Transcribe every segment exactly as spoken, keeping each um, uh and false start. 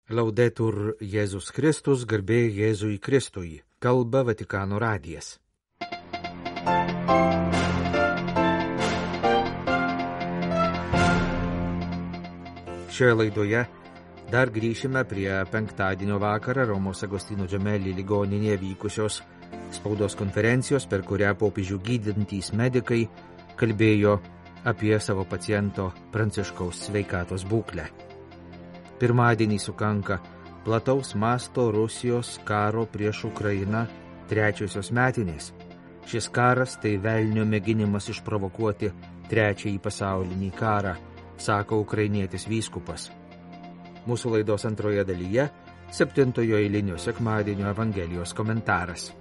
Laudetur Jėzus Kristus, garbė Jėzui Kristui, kalba Vatikano radijas. Šioje laidoje dar grįšime prie penktadienio vakarą Romos Agostino Gemelli ligoninėje vykusios spaudos konferencijos, per kurią popiežių gydantys medikai kalbėjo apie savo paciento Pranciškaus sveikatos būklę. Pirmadienį sukanka plataus masto Rusijos karo prieš Ukrainą trečiosios metinės. Šis karas tai velnio mėginimas išprovokuoti trečiąjį pasaulinį karą, sako ukrainietis vyskupas. Mūsų laidos antroje dalyje septintojo eilinio sekmadienio Evangelijos komentaras.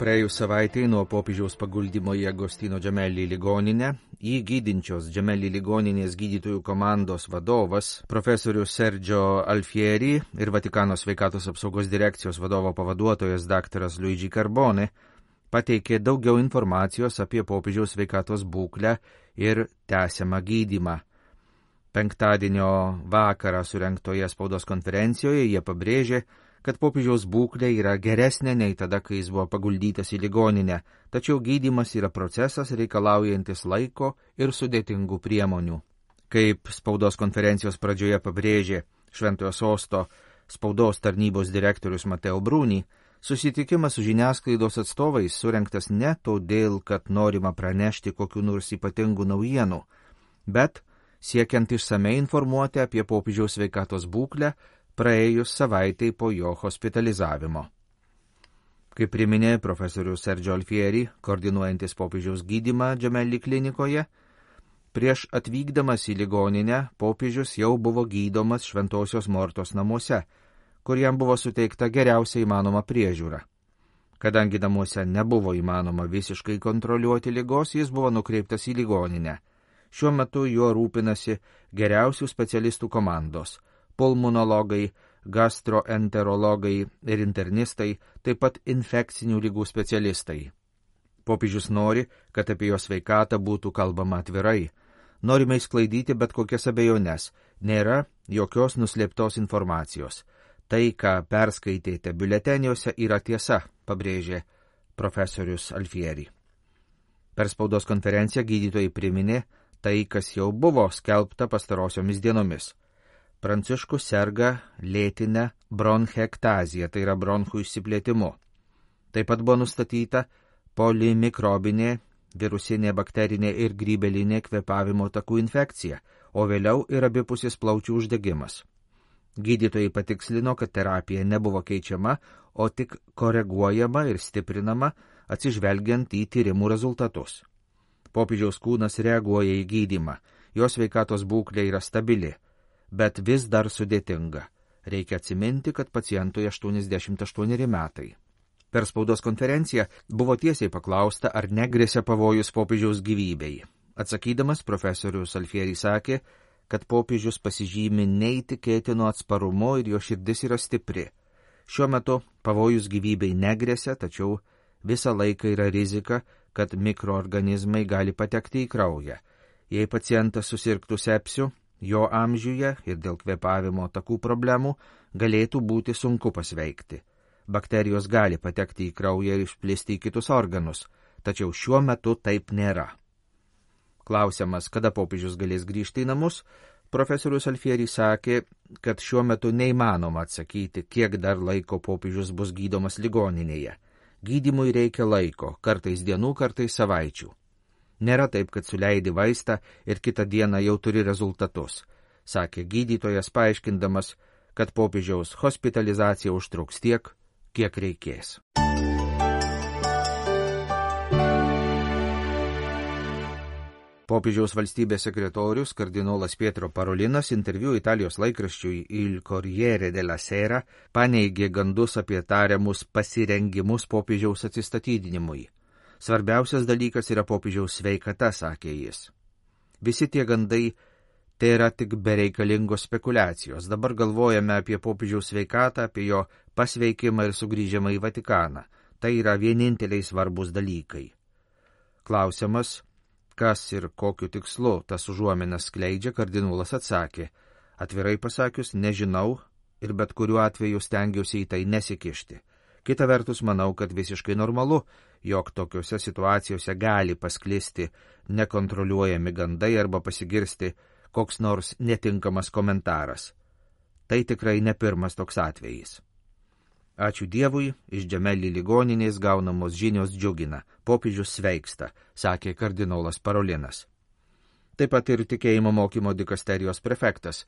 Praėjus savaitei nuo popiežiaus paguldimo į Agostino Gemelli ligoninę, į gydinčios Gemelli ligoninės gydytojų komandos vadovas, profesorius Sergio Alfieri ir Vatikano sveikatos apsaugos direkcijos vadovo pavaduotojas daktaras Luigi Carbone pateikė daugiau informacijos apie popiežiaus sveikatos būklę ir tęsiamą gydymą. Penktadienio vakarą surengtoje spaudos konferencijoje jie pabrėžė, kad popiežiaus būklė yra geresnė nei tada, kai jis buvo paguldytas į ligoninę, tačiau gydymas yra procesas reikalaujantis laiko ir sudėtingų priemonių. Kaip spaudos konferencijos pradžioje pabrėžė Šventojo Sosto spaudos tarnybos direktorius Mateo Bruni, susitikimas su žiniasklaidos atstovais surengtas ne todėl, kad norima pranešti kokių nors ypatingų naujienų, bet siekiant išsamei informuoti apie popiežiaus sveikatos būklę, praėjus savaitai po jo hospitalizavimo. Kaip priminė profesorius Sergio Alfieri, koordinuojantis popiežiaus gydymą Gemelli klinikoje, prieš atvykdamas į ligoninę popiežius jau buvo gydomas Šventosios Mortos namuose, kur jam buvo suteikta geriausia įmanoma priežiūra. Kadangi namuose nebuvo įmanoma visiškai kontroliuoti ligos, jis buvo nukreiptas į ligoninę. Šiuo metu juo rūpinasi geriausių specialistų komandos – pulmonologai, gastroenterologai ir internistai, taip pat infekcinių ligų specialistai. Popiežius nori, kad apie jo sveikatą būtų kalbama atvirai. Norime išsklaidyti bet kokias abejones, nėra jokios nuslėptos informacijos. Tai, ką perskaitėte biuleteniuose, yra tiesa, pabrėžė profesorius Alfieri. Per spaudos konferenciją gydytojai priminė tai, kas jau buvo skelbta pastarosiomis dienomis. Pranciškus serga lėtinę bronchektaziją, tai yra bronchų išsiplėtimu. Taip pat buvo nustatyta polimikrobinė, virusinė, bakterinė ir grybelinė kvėpavimo takų infekcija, o vėliau ir abipusis plaučių uždegimas. Gydytojai patikslino, kad terapija nebuvo keičiama, o tik koreguojama ir stiprinama atsižvelgiant į tyrimų rezultatus. Popiežiaus kūnas reaguoja į gydymą, jo sveikatos būklė yra stabili, bet vis dar sudėtinga. Reikia atsiminti, kad pacientui aštuoniasdešimt aštuoneri metai. Per spaudos konferenciją buvo tiesiai paklausta, ar negresia pavojus popiežiaus gyvybei. Atsakydamas, profesorius Alfieri sakė, kad popiežius pasižymi neįtikėtinu atsparumu ir jo širdis yra stipri. Šiuo metu pavojus gyvybei negresia, tačiau visą laiką yra rizika, kad mikroorganizmai gali patekti į kraują. Jei pacientas susirgtų sepsiu, jo amžiuje ir dėl kvėpavimo takų problemų galėtų būti sunku pasveikti. Bakterijos gali patekti į kraują ir išplisti į kitus organus, tačiau šiuo metu taip nėra. Klausiamas, kada popiežius galės grįžti į namus, profesorius Alfieri sakė, kad šiuo metu neįmanoma atsakyti, kiek dar laiko popiežius bus gydomas ligoninėje. Gydymui reikia laiko, kartais dienų, kartais savaičių. Nėra taip, kad suleidi vaistą ir kitą dieną jau turi rezultatus, sakė gydytojas, paaiškindamas, kad popiežiaus hospitalizacija užtruks tiek, kiek reikės. Popiežiaus valstybės sekretorius kardinolas Pietro Parolinas interviu Italijos laikraščiui Il Corriere della Sera paneigė gandus apie tariamus pasirengimus popiežiaus atsistatydinimui. Svarbiausias dalykas yra popiežiaus sveikata, sakė jis. Visi tie gandai tai yra tik bereikalingos spekulacijos. Dabar galvojame apie popiežiaus sveikatą, apie jo pasveikimą ir sugrįžimą į Vatikaną. Tai yra vieninteliai svarbus dalykai. Klausimas, kas ir kokiu tikslu tas užuominas skleidžia, kardinolas atsakė, atvirai pasakius, nežinau ir bet kuriuo atveju stengiausi į tai nesikišti. Kita vertus, manau, kad visiškai normalu, jog tokiuose situacijose gali pasklisti nekontroliuojami gandai arba pasigirsti koks nors netinkamas komentaras. Tai tikrai ne pirmas toks atvejis. Ačiū Dievui, iš Džemeli ligoninės gaunamos žinios džiugina, popiežius sveiksta, sakė kardinolas Parolinas. Taip pat ir tikėjimo mokymo dikasterijos prefektas,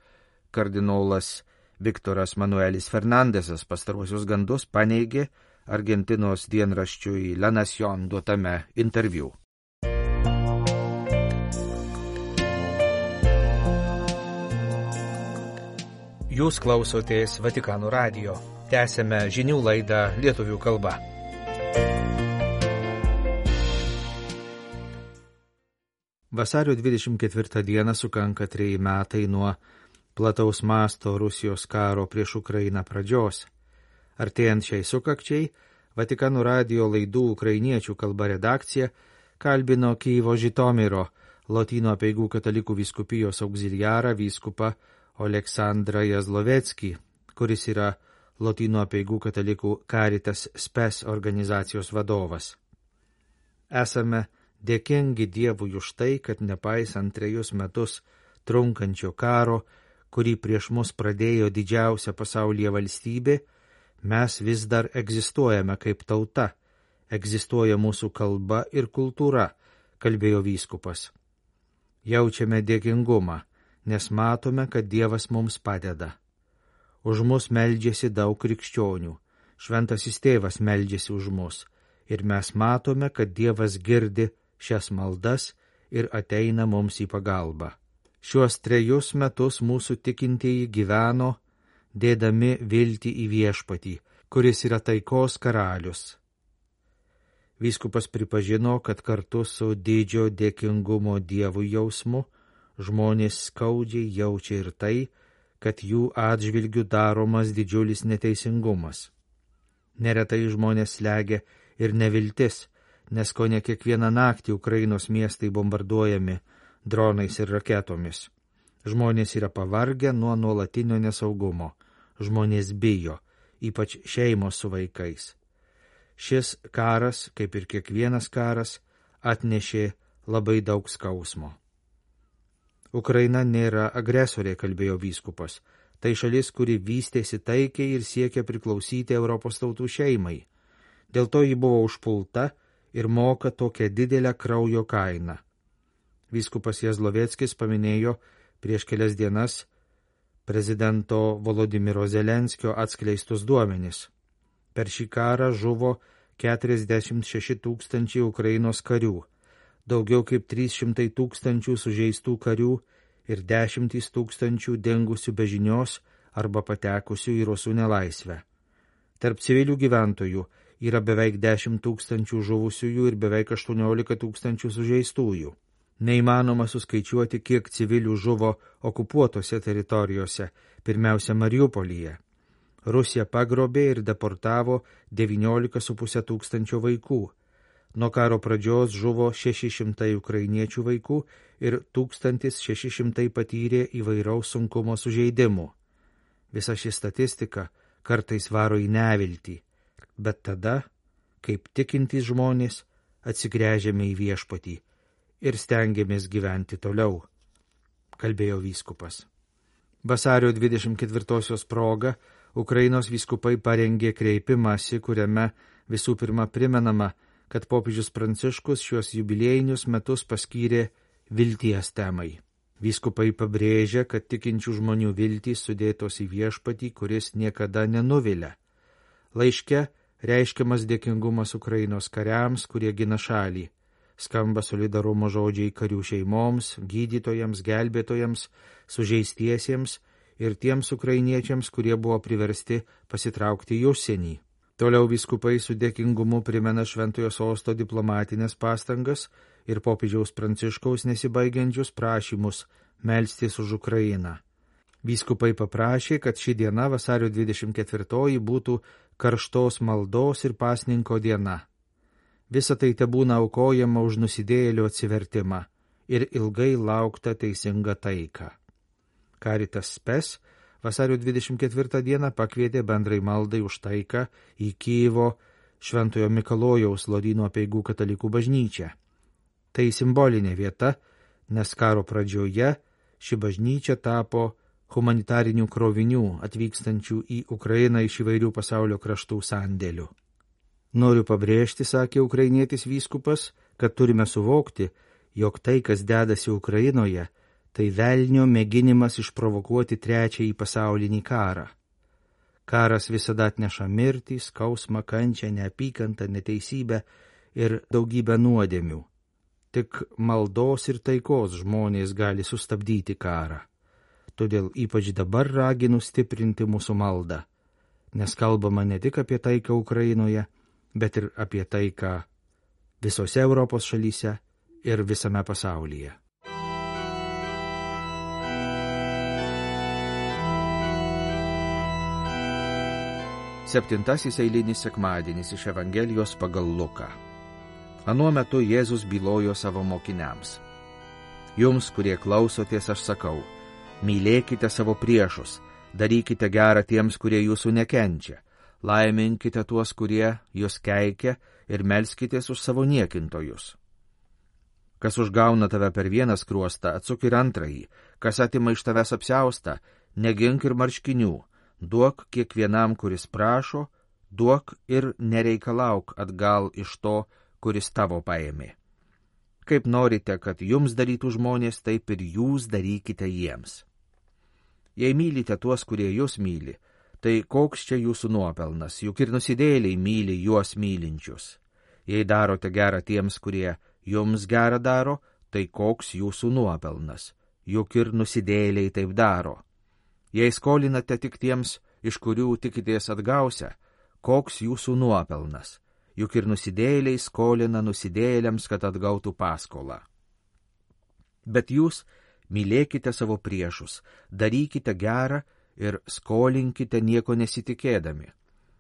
kardinolas Viktoras Manuelis Fernandesas pastaruosius gandus paneigė Argentinos dienraščiui La Nación duotame interviu. Jūs klausotės Vatikano radijo. Tęsėme žinių laidą lietuvių kalba. Vasario dvidešimt ketvirtą dieną sukanka treji metai nuo plataus masto Rusijos karo prieš Ukrainą pradžios. Artėjant šiai sukakčiai, Vatikano radijo laidų ukrainiečių kalba redakcija kalbino Kyjivo Žitomiro Lotynų apeigų katalikų vyskupijos auxiliarą vyskupą Oleksandrą Jazloveckį, kuris yra Lotynų apeigų katalikų Caritas Spes organizacijos vadovas. Esame dėkingi Dievui už tai, kad nepaisant trejus metus trunkančio karo, kurį prieš mus pradėjo didžiausia pasaulyje valstybė, mes vis dar egzistuojame kaip tauta, egzistuoja mūsų kalba ir kultūra, kalbėjo vyskupas. Jaučiame dėkingumą, nes matome, kad Dievas mums padeda. Už mus meldžiasi daug krikščionių, šventasis tėvas meldžiasi už mus, ir mes matome, kad Dievas girdi šias maldas ir ateina mums į pagalbą. Šiuos trejus metus mūsų tikintieji gyveno, dėdami viltį į viešpatį, kuris yra taikos karalius. Vyskupas pripažino, kad kartu su didžio dėkingumo Dievui jausmu žmonės skaudžiai jaučia ir tai, kad jų atžvilgių daromas didžiulis neteisingumas. Neretai žmonės slegia ir neviltis, nes kone kiekvieną naktį Ukrainos miestai bombarduojami dronais ir raketomis. Žmonės yra pavargę nuo nuolatinio nesaugumo. Žmonės bijo, ypač šeimos su vaikais. Šis karas, kaip ir kiekvienas karas, atnešė labai daug skausmo. Ukraina nėra agresorė, kalbėjo vyskupas. Tai šalis, kuri vystėsi taikiai ir siekia priklausyti Europos tautų šeimai. Dėl to ji buvo užpulta ir moka tokią didelę kraujo kainą. Vyskupas Jazloveckis paminėjo prieš kelias dienas prezidento Volodymyro Zelenskio atskleistus duomenis. Per šį karą žuvo keturiasdešimt šeši tūkstančiai Ukrainos karių, daugiau kaip trys šimtai tūkstančių sužeistų karių ir dešimtys tūkstančių dingusių be žinios arba patekusių į rusų nelaisvę. Tarp civilių gyventojų yra beveik dešimt tūkstančių žuvusiųjų ir beveik aštuoniolika tūkstančių sužeistųjų. Neįmanoma suskaičiuoti, kiek civilių žuvo okupuotose teritorijose, pirmiausia Mariupolyje. Rusija pagrobė ir deportavo devyniolika su puse tūkstančio vaikų. Nuo karo pradžios žuvo šeši šimtai ukrainiečių vaikų ir tūkstantis šeši šimtai patyrė įvairaus sunkumo sužeidimų. Visa ši statistika kartais varo į neviltį, bet tada, kaip tikintys žmonės, atsigręžiame į viešpatį ir stengiamės gyventi toliau, kalbėjo vyskupas. Vasario dvidešimt ketvirtosios proga Ukrainos vyskupai parengė kreipimąsi, kuriame visų pirma primenama, kad popiežius Pranciškus šiuos jubiliejinius metus paskyrė vilties temai. Vyskupai pabrėžia, kad tikinčių žmonių viltys sudėtos į viešpatį, kuris niekada nenuvilia. Laiške reiškiamas dėkingumas Ukrainos kariams, kurie gina šalį. Skamba solidarumo žodžiai karių šeimoms, gydytojams, gelbėtojams, sužeistiesiems ir tiems ukrainiečiams, kurie buvo priversti pasitraukti į užsienį. Toliau vyskupai su dėkingumu primena Šventojo sosto diplomatinės pastangas ir popiežiaus Pranciškaus nesibaigiančius prašymus melstis už Ukrainą. Vyskupai paprašė, kad ši diena, vasario dvidešimt ketvirtoji, būtų karštos maldos ir pasninko diena. Visa tai tebūna aukojama už nusidėjėlio atsivertimą, ir ilgai lauktą teisingą taiką. Caritas Spes vasario dvidešimt ketvirtą dieną pakvietė bendrai maldai už taiką į Kijevo Šventojo Mikalojaus Loryno apeigų katalikų bažnyčią. Tai simbolinė vieta, nes karo pradžioje ši bažnyčia tapo humanitarinių krovinių atvykstančių į Ukrainą iš įvairių pasaulio kraštų sandėlių. Noriu pabrėžti, sakė ukrainietis vyskupas, kad turime suvokti, jog tai, kas dedasi Ukrainoje, tai velnio mėginimas išprovokuoti trečiąjį pasaulinį karą. Karas visada atneša mirtį, skausmą, kančią, neapykantą, neteisybę ir daugybę nuodėmių. Tik maldos ir taikos žmonės gali sustabdyti karą. Todėl ypač dabar raginu stiprinti mūsų maldą, nes kalbama ne tik apie taiką Ukrainoje, bet ir apie taiką visose Europos šalyse ir visame pasaulyje. Septintasis eilinis sekmadienis iš Evangelijos pagal Luką. Anuo metu Jėzus bylojo savo mokiniams. Jums, kurie klausotės, aš sakau, mylėkite savo priešus, darykite gerą tiems, kurie jūsų nekenčia, laiminkite tuos, kurie jūs keikia ir melskitės už savo niekintojus. Kas užgauna tave per vieną skruostą, atsuk ir antrąjį, kas atima iš tavęs apsiaustą, negink ir marškinių, duok kiekvienam, kuris prašo, duok ir nereikalauk atgal iš to, kuris tavo paėmė. Kaip norite, kad jums darytų žmonės, taip ir jūs darykite jiems. Jei mylite tuos, kurie jūs myli, tai koks čia jūsų nuopelnas, juk ir nusidėjėliai myli juos mylinčius. Jei darote gerą tiems, kurie jums gerą daro, tai koks jūsų nuopelnas, juk ir nusidėjėliai taip daro. Jei skolinate tik tiems, iš kurių tikitės atgausia, koks jūsų nuopelnas, juk ir nusidėjėliai skolina nusidėjėliams, kad atgautų paskolą. Bet jūs mylėkite savo priešus, darykite gerą ir skolinkite nieko nesitikėdami.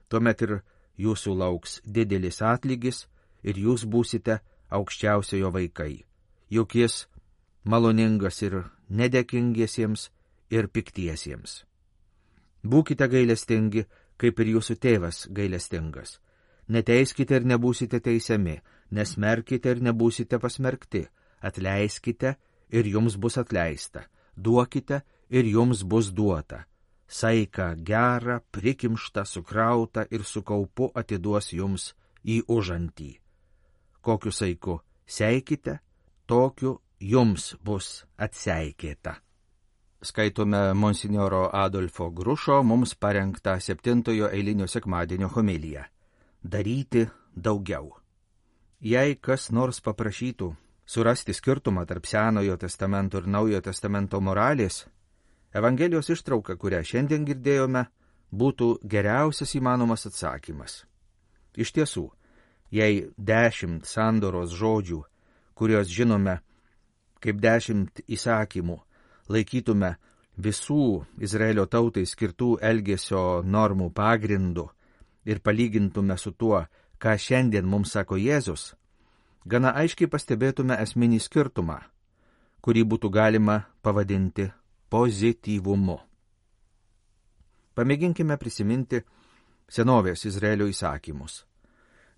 Tuomet ir jūsų lauks didelis atlygis ir jūs būsite aukščiausiojo vaikai, juk jis maloningas ir nedėkingiesiems ir piktiesiems. Būkite gailestingi, kaip ir jūsų tėvas gailestingas. Neteiskite ir nebūsite teisiami, nesmerkite ir nebūsite pasmerkti, atleiskite ir jums bus atleista, duokite ir jums bus duota. Saiką gerą, prikimštą, sukrautą ir su kaupu atiduos jums į užantį. Kokiu saiku seikite, tokiu jums bus atseikėta. Skaitome monsinjoro Adolfo Grušo mums parengtą septintojo eilinio sekmadienio homiliją. Daryti daugiau. Jei kas nors paprašytų surasti skirtumą tarp Senojo testamento ir Naujojo testamento moralės, Evangelijos ištrauka, kurią šiandien girdėjome, būtų geriausias įmanomas atsakymas. Iš tiesų, jei dešimt sandoros žodžių, kuriuos žinome kaip dešimt įsakymų, laikytume visų Izraelio tautai skirtų elgesio normų pagrindu ir palygintume su tuo, ką šiandien mums sako Jėzus, gana aiškiai pastebėtume esminį skirtumą, kurį būtų galima pavadinti pozityvumu. Pamėginkime prisiminti senovės Izraelio įsakymus.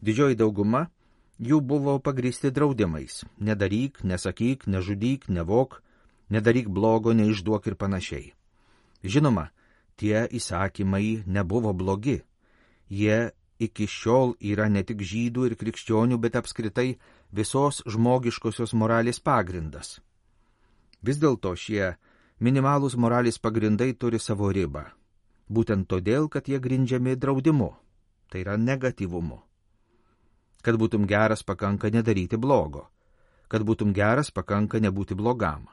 Didžioji dauguma jų buvo pagrįsti draudimais – nedaryk, nesakyk, nežudyk, nevok, nedaryk blogo, neišduok ir panašiai. Žinoma, tie įsakymai nebuvo blogi. Jie iki šiol yra ne tik žydų ir krikščionių, bet apskritai visos žmogiškosios moralės pagrindas. Vis dėlto šie minimalūs moralės pagrindai turi savo ribą. Būtent todėl, kad jie grindžiami draudimu, tai yra negatyvumu. Kad būtum geras, pakanka nedaryti blogo. Kad būtum geras, pakanka nebūti blogam.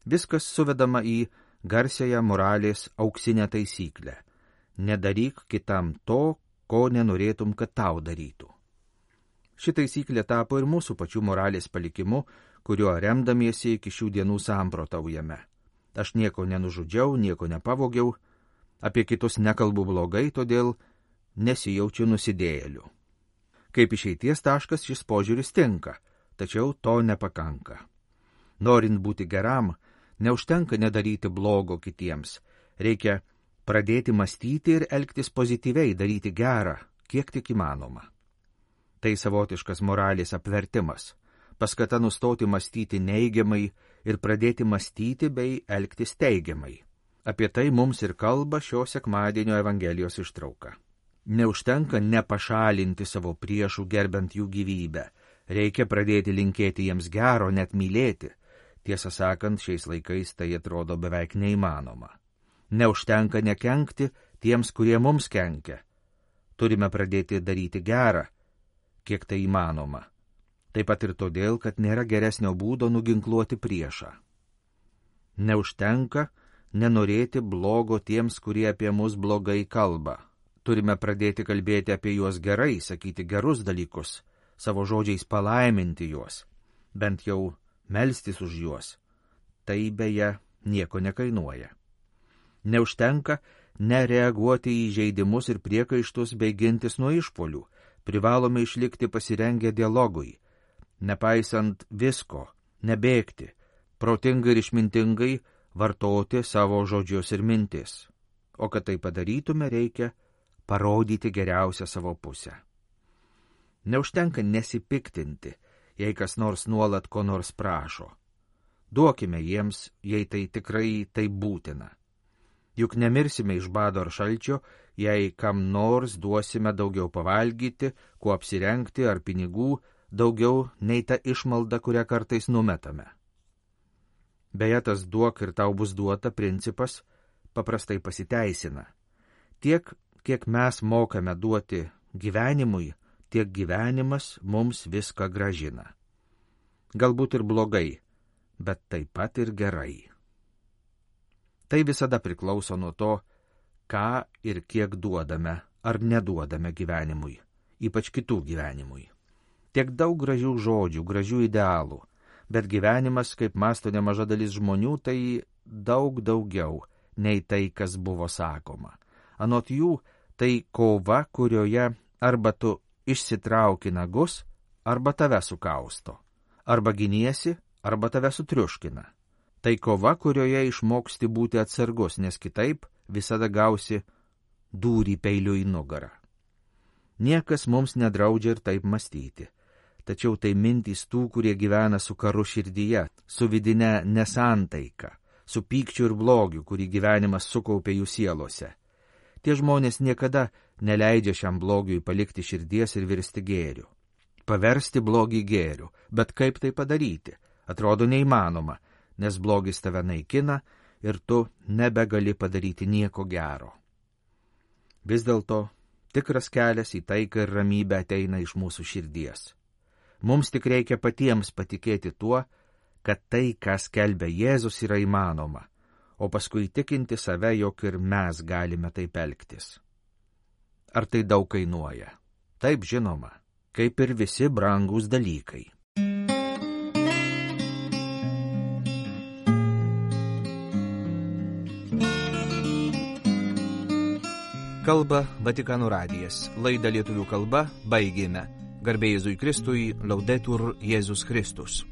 Viskas suvedama į garsiąją moralės auksinę taisyklę. Nedaryk kitam to, ko nenorėtum, kad tau darytų. Ši taisyklė tapo ir mūsų pačių moralės palikimu, kuriuo remdamiesi iki šių dienų samprotaujame. Aš nieko nenužudžiau, nieko nepavogiau, apie kitus nekalbu blogai, todėl nesijaučiu nusidėjėliu. Kaip išeities taškas šis požiūris tinka, tačiau to nepakanka. Norint būti geram, neužtenka nedaryti blogo kitiems. Reikia pradėti mąstyti ir elgtis pozityviai, daryti gerą, kiek tik įmanoma. Tai savotiškas moralės apvertimas, paskata nustoti mąstyti neigiamai ir pradėti mąstyti bei elgtis teigiamai. Apie tai mums ir kalba šio sekmadienio Evangelijos ištrauka. Neužtenka nepašalinti savo priešų gerbent jų gyvybę, reikia pradėti linkėti jiems gero, net mylėti. Tiesą sakant, šiais laikais tai atrodo beveik neįmanoma. Neužtenka nekenkti tiems, kurie mums kenkia. Turime pradėti daryti gerą, kiek tai įmanoma. Taip pat ir todėl, kad nėra geresnio būdo nuginkluoti priešą. Neužtenka nenorėti blogo tiems, kurie apie mus blogai kalba. Turime pradėti kalbėti apie juos gerai, sakyti gerus dalykus, savo žodžiais palaiminti juos, bent jau melstis už juos. Tai beje nieko nekainuoja. Neužtenka nereaguoti į žeidimus ir priekaištus bei gintis nuo išpuolių. Privalome išlikti pasirengę dialogui, nepaisant visko, nebėgti, protingai ir išmintingai vartoti savo žodžius ir mintis. O kad tai padarytume, reikia parodyti geriausią savo pusę. Neužtenka nesipiktinti, jei kas nors nuolat ko nors prašo. Duokime jiems, jei tai tikrai tai būtina. Juk nemirsime iš bado ar šalčio, jei kam nors duosime daugiau pavalgyti, kuo apsirengti ar pinigų, daugiau nei ta išmalda, kurią kartais numetame. Beje, tas duok ir tau bus duota principas paprastai pasiteisina. Tiek, kiek mes mokame duoti gyvenimui, tiek gyvenimas mums viską gražina. Galbūt ir blogai, bet taip pat ir gerai. Tai visada priklauso nuo to, ką ir kiek duodame ar neduodame gyvenimui, ypač kitų gyvenimui. Tiek daug gražių žodžių, gražių idealų, bet gyvenimas, kaip mąsto nemaža dalis žmonių, tai daug daugiau nei tai, kas buvo sakoma. Anot jų, tai kova, kurioje arba tu išsitrauki nagus, arba tave sukausto, arba giniesi, arba tave sutriuškina. Tai kova, kurioje išmoksti būti atsargus, nes kitaip visada gausi dūrį peiliu į nugarą. Niekas mums nedraudžia ir taip mąstyti, tačiau tai mintys tų, kurie gyvena su karu širdyje, su vidine nesantaika, su pykčiu ir blogiu, kurį gyvenimas sukaupė jų sielose. Tie žmonės niekada neleidžia šiam blogiui palikti širdies ir virsti gėriu. Paversti blogį gėriu, bet kaip tai padaryti? Atrodo neįmanoma, nes blogis tave naikina ir tu nebegali padaryti nieko gero. Vis dėlto, tikras kelias į taiką ir ramybę ateina iš mūsų širdies. Mums tik reikia patiems patikėti tuo, kad tai, ką skelbia Jėzus, yra įmanoma, o paskui tikinti save, jog ir mes galime taip elgtis. Ar tai daug kainuoja? Taip, žinoma, kaip ir visi brangūs dalykai. Kalba Vatikano radijas. Laidą lietuvių kalba baigėme. Garbė Jėzui Kristui, Laudetur Jėzus Kristus.